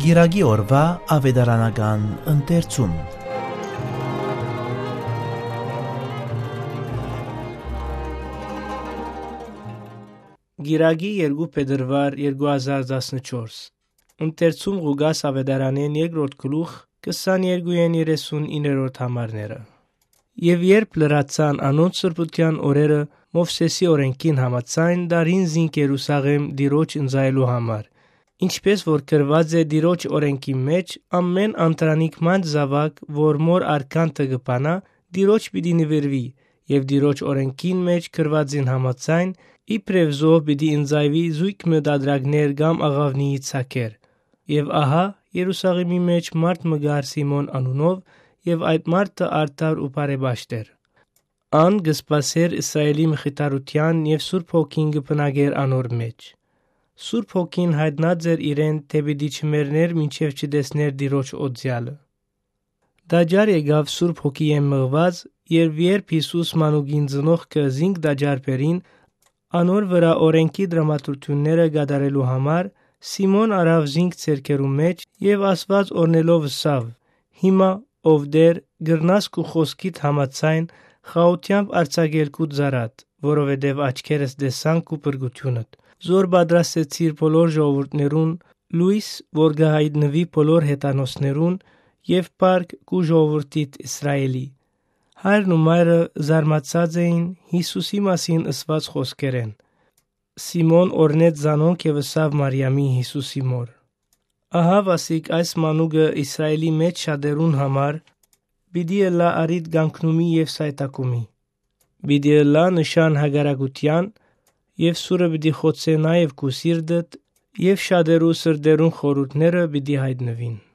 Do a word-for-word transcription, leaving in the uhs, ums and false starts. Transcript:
Կիրակի օրուայ աւետարանական ընթերցում։ Կիրակի երկու փետրուար երկու հազար տասնչորս։ Ընթերցում Ղուկաս աւետարանէն երկրորդ գլուխ, քսաներկու են երեսուն իններորդ համարները։ Եւ երբ լրացան անոնց սրբութեան օրերը, Մովսէսի օրէնքին համաձայն, դարին զինք Երուսաղէմ Տիրոջ ընծայելու համար, ինչպէս որ գրուած է Տիրոջ օրէնքին մէջ, ամէն անդրանիկ մանչ զաւակ, որ մօր արքանթը կը բանայ, Տիրոջ պիտի նուիրուի, եւ Տիրոջ օրէնքին մէջ գրուածին համաձայն, իբրեւ զոհ պիտի ընծայուի զոյգ մը տատրակներ կամ աղաւնիի ցակեր։ Եւ ահա, Երուսաղէմի մէջ մարդ մը կար Սիմոն անունով, եւ այդ մարդը արդար ու բարեպաշտ էր։ Ան կը սպասէր Իսրայէլի մխիթարութեան եւ Սուրբ Հոգին կը բնակէր անոր մէջ։ Սուրբ Հոգին յայտնած էր իրեն, թէ պիտի չմեռնէր, մինչեւ չտեսնէր Տիրոջ օծեալը։ Տաճար եկաւ Սուրբ Հոգիէն մղուած, եւ երբ Յիսուս մանուկին ծնողքը զինք տաճար բերին, անոր վրայ օրէնքի դրամատրութիւնները կատարելու համար, Սիմոն առաւ զինք ձեռքերու մէջ եւ ասուած օրհնելով ըսաւ. «Հիմա, ով Տէր, կրնաս քու խօսքիդ համաձայն խաղութեամբ արձակել քու ծառադ, որովհետեւ աչքերս տեսան քու փրկութիւնդ, զոր պատրաստեցիր բոլոր ժողովուրդներուն, լոյս, որ կը յայտնուի բոլոր հեթանոսներուն, եւ փառք քու ժողովուրդիդ Իսրայէլի»։ Հայրն ու մայրը զարմացած էին Յիսուսի մասին ըսուած խօսքերէն։ Սիմոն օրհնեց զանոնք եւ ըսաւ Մարիամին, Յիսուսի մօր. «Ահա, վասիկ այս մանուկը Իսրայէլի մէջ շատերուն համար պիտի ըլլայ առիթ կանգնումի եւ սայթաքումի։ Պիտի ըլլայ նշան հակառակութեան, եւ սուրը պիտի խոցէ նաեւ քու սիրտդ, եւ շատերու սրտերուն խորհուրդները պիտի յայտնուին»։